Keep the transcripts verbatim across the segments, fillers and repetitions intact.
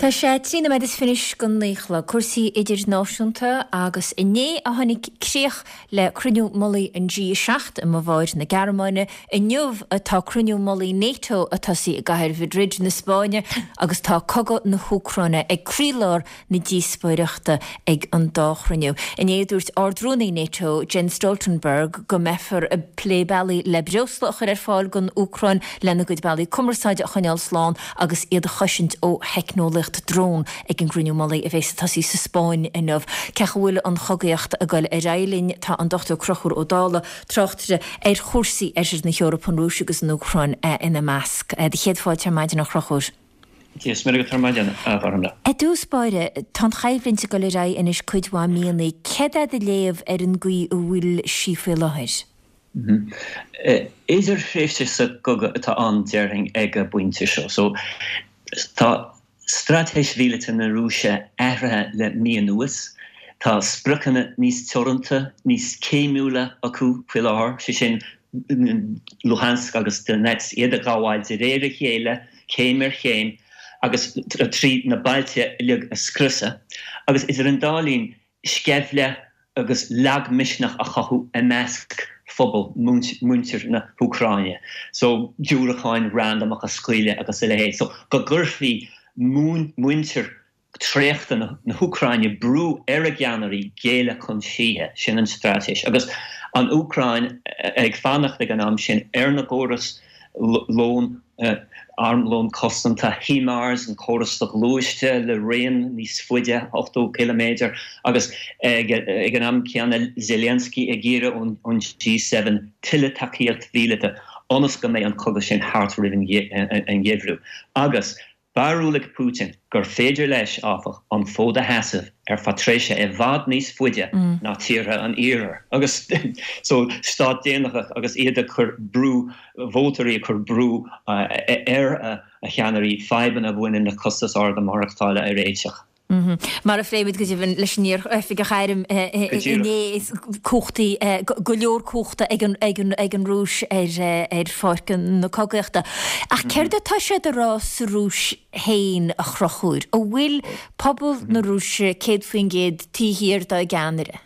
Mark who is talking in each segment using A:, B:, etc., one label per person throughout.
A: Tá sé trí nóiméad is fiche go naoi a chlog cúrsaí idirnáisiúnta agus inné a tháinig críoch le cruinniú mullaigh an G seacht i mBaváir na Gearmáine inniu atá cruinniú mullaigh NATO ag tosú i gcathair Madrid na Spáinne agus tá cogadh na hÚcráine ag croílár na díospóireachta ag an dá chruinniú. Inné dúirt Ardrúnaí NATO Jens Stoltenberg go mbeifear ag plé bealaí le breosla a chur ar fáil don Úcráin lena gcuid bealaí cumarsáide a choinneáil slán agus iad a chosaint ó theicneolaíocht drón ag an gcruinniú mullaigh a bheas ag tosú sa Spáinn inniu. Cé go bhfuil an chogaíocht ag dul ar aghaidh linn tá an Dr Conchúr Ó Dálaigh tráchtaire ar chúrsaí Oirthear na hEorpa an Rúis agus an Úcráin ina measc. Do chéad fáilte ar maidin a Chonchúir. I dtús báire tá an choimhlint ag dul ar aghaidh anois cuid mhaith míonna, céard é do léamh ar an gcaoi a bhfuil sí faoi láthair.
B: Mhm. Idirthréimhse sa gcogadh atá ann déarfainn ag an bpointe seo. So tá straitéis mhíleata na Rúise athraithe le mí anuas. Tá spriocanna níos teoranta, níos céimiúla acu faoi láthair, sé sin Luhansk agus Donetsk iad a ghabháil de réir a chéile, céim ar chéim, agus trí na bailte uilig a scriosadh, agus idir an dá linn sceimhle agus lagmhisneach a chothú i measc phobal muintir na hÚcráine. So diúracáin randamach a scaoileadh agus a leithéid. So go gcuirfí muintir traochta na hÚcráine brú ar a gceannairí géilleadh chun síthe sin an straitéis. Agus an Úcráin ag fanacht ag an am sin ar na gcóras lón armlón cosanta HIMARS an córas soghluaiste le raon níos faide ochtó ciliméadar agus ag an am céanna Zelensky ag iarraidh ón G seven tuilleadh tacaíocht mhíleata ionas go mbeidh an cogadh sin thart roimh an gheimhreadh. Agus barúil ag Putin gur féidir leis áfach an fód a sheasamh ar feadh tréimhse i bhfad níos faide ná tíortha an iarthair. Agus so stát déanach agus iad ag cur brú vótóirí ag cur brú ar a cheannairí fadhbanna a bhaineann le costas arda maireachtála a réiteach.
A: Mar a phléimid go deimhin leis an iar-oifigeach airm inné cumhachtaí go leor cumhachta ag an ag an ag an Rúis ar ar pháirc na cogaíochta. Ach céard atá siad a rá sa Rúis féin a Chonchúir, an bhfuil pobal na Rúise céad faoin gcéad taobh thiar dá gceannaire?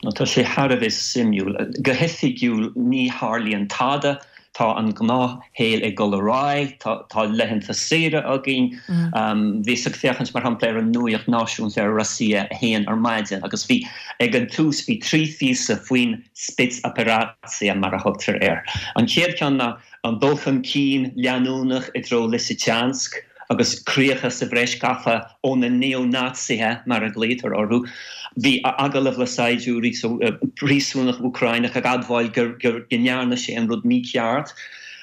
B: Tá sé thar a bheith suimiúil. Go hoifigiúil ní tharlaíonn tada tá an gnáthshaol ag dul ar aghaidh, tá laethanta saoire againn. Bhíos ag féachaint mar shampla ar an nuacht náisiúnta ar Rossiya a haon ar maidin agus bhí ag an tús bhí trí phíosa faoin spetsoperatsiya mar a thugtar air. An chéad cheann ná an dul chun cinn leanúnach i dtreo Lysychansk agus críocha sa bhreis gafa ó na neo-Naitsithe mar a ghlaotar orthu. Bhí agallamh le saighdiúirí so príosúnach Úcránach ag admháil gur go ndearna sé an rud mícheart.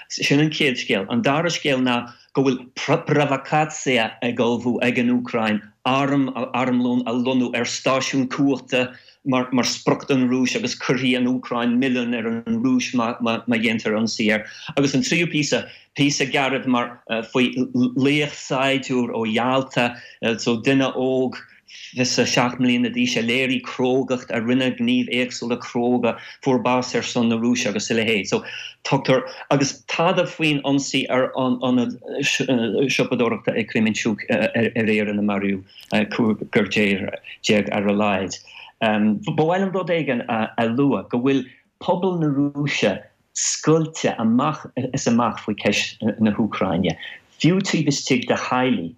B: Sin an chéad scéal. An dara scéal ná go bhfuil provocatsiya ag ullmhú ag an Úcráin arm armlón a lonnú ar stáisiún cumhachta mar mar sprioc don Rúis agus cuirfidh an Úcráin milleán ar an Rúis má má dhéantar ionsaí air. Agus an tríú píosa píosa gairid mar faoi laoch saighdiúir ó Yalta, so duine óg fiche seacht mbliana d'aois a léirigh crógacht a rinne gníomh éagsúla cróga fuair bás ar son na Rúise agus a leithéid. So tugtar agus tada faoin ionsaí ar an ionad siopadóireachta i Kremenchuk aréir ina maraíodh cúigear déag ar a laghad. Ba mhaith liom rud éigin a lua go bhfuil pobal na Rúise scoilte amach is amach faoi cheist na hÚcráine. Fiú taobh istigh de theaghlaigh,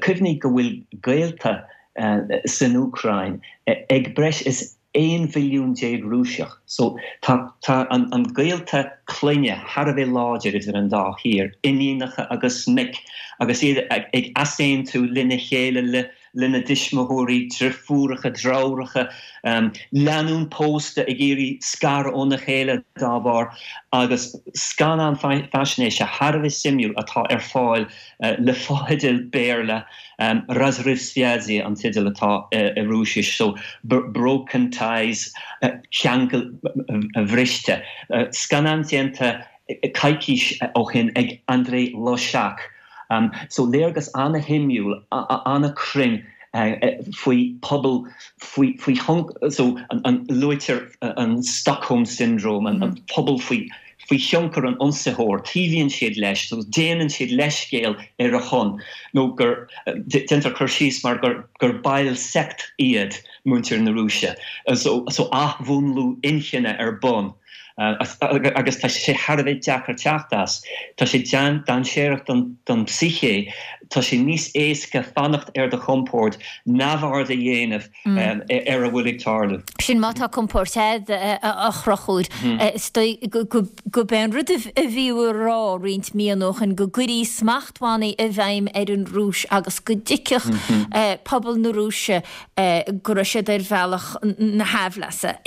B: cuimhnigh go bhfuil gaolta san Úcráin ag breis is aon mhilliún déag Rúiseach. So tá tá an an gaolta clainne thar a bheith láidir idir an dá thír, iníonacha agus mic, agus iad ag easaontú lena chéile le lena dtuismitheoirí, deirfiúracha, deartháireacha, lánúin pósta ag iarraidh scaradh óna chéile dá bharr, agus scannán faisnéise thar a bheith suimiúil atá ar fáil le fotheidil Béarla, Razryv Svyazi an teideal atá i Rúisis, so Broken Ties, ceangal bhriste. Scannán déanta coicís ó shin ag Andrei Loshak. Um, so léargas an-shuimiúil, an-chruinn faoi pobal faoi faoi so an, an luaitear an Stockholm syndrome an, an pobal faoi faoi thionchar an ionsaitheoir, taobhaíonn siad leis, so déanann siad leithscéal ar a shon, nó gur déantar cur síos mar gur gur baill sect iad muintir na Rúise. So so athmhúnlú inchinne ar bun. Agus tá sé thar a bheith deacair teacht as. Tá sé dainséarach don don psyche, tá sé níos éasca fanacht ar do chompord, neamhaird a dhéanamh ar a bhfuil ag tarlú.
A: Sin má tá compord agat a Chonchúir. Is dóigh gurb é an rud a bhí á rá roinnt míonna ó shin go gcuirfí smachtbhannaí i bhfeidhm ar an Rúis agus go dtuigfeadh pobal na Rúise go raibh siad ar bhealach na haimhleasa.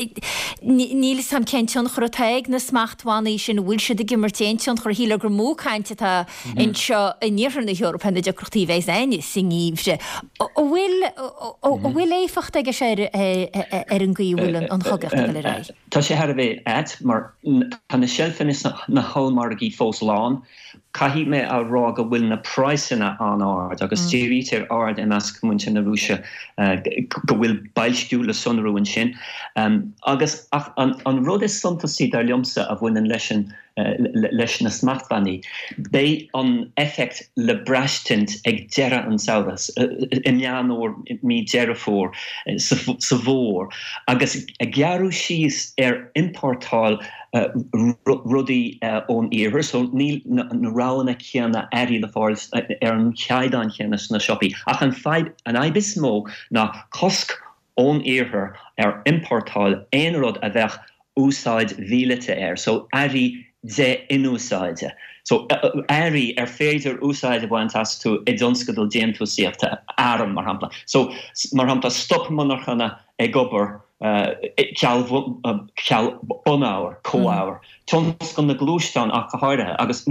A: Níl 'fhios a'm cén tionchar atá ag na smachtbhannaí sin, an bhfuil siad ag imirt aon tionchar? Shílfeá gur mó caint atá anseo in iarthar na hEorpa ar na deacrachtaí a bheas againne sa ngeimhreadh. An bhfuil an bhfuil éifeacht aige seo ar an gcaoi a bhfuil an chogaíocht ag dul ar aghaidh?
B: Tá sé thar a bheith ait mar tá na seilfeanna sna hollmhargaí fós lán. Caithfidh mé a rá go bhfuil na praghsanna an-ard agus dírítear aird i measc muintir na Rúise go bhfuil boilsciú le sonrú ansin. Agus ach an rud is suntasaí dar liomsa a bhaineann leis an leis na smachtbhannaí, beidh an effect le braistint ag deireadh an tsamhraidh, i Meán Fómhair, mí Deireadh Fómhair, sa bhfómhar, agus gearradh síos ar iompórtáil rudaí ón iarthar, so níl na roghanna céanna earraí le fáil ar an chaighdeán céanna sna siopaí. Ach an fadhb, an fhadhb is mó ná cosc ón iarthar ar iompórtáil aon rud a bheadh úsáid mhíleata air, so earraí de-inúsáide. So earraí ar féidir úsáid a bhaint astu i dtionscadal déantúsaíochta, arm mar shampla. So mar shampla stop monarchana ag obair ceal ceal bunábhar, comhábhar. Tionscal na ngluaisteán ach go háirithe agus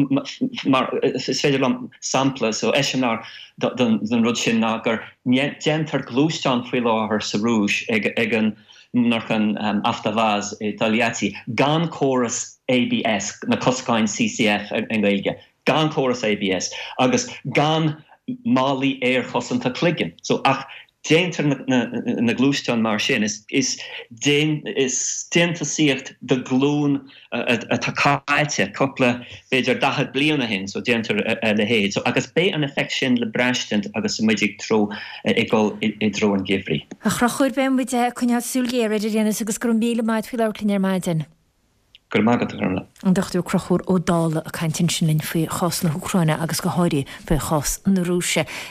B: mar is féidir liom sampla so eiseamláir den rud sin ná gur déantar gluaisteán faoi láthair sa Rúis ag ag an monarchan Avtovaz i Togliatti gan córas ABS na coscáin CCF i nGaeilge, gan córas ABS agus gan málaí aerchosanta cloigeann. So ach déantar na, na, na gluaisteáin mar sin is, is, déan, is déantúsaíocht de ghlúin atá caite cúpla b'fhéidir daichead bliain ó shin so déantar a leithéid. So agus beidh an effect sin le braistint agus muid ag treo ag dul i dtreo an gheimhridh.
A: A Chonchúir beidh muid ag coinneáil súil ghéar air ar aon nós agus go raibh míle maith faoi labhairt linn ar maidin.
B: Go raibh maith agat a Ghormfhlaith.
A: An Dochtúir Conchúr Ó Dálaigh ag caint ansin linn faoi chás na hÚcráine agus go háirithe faoi chás na Rúise.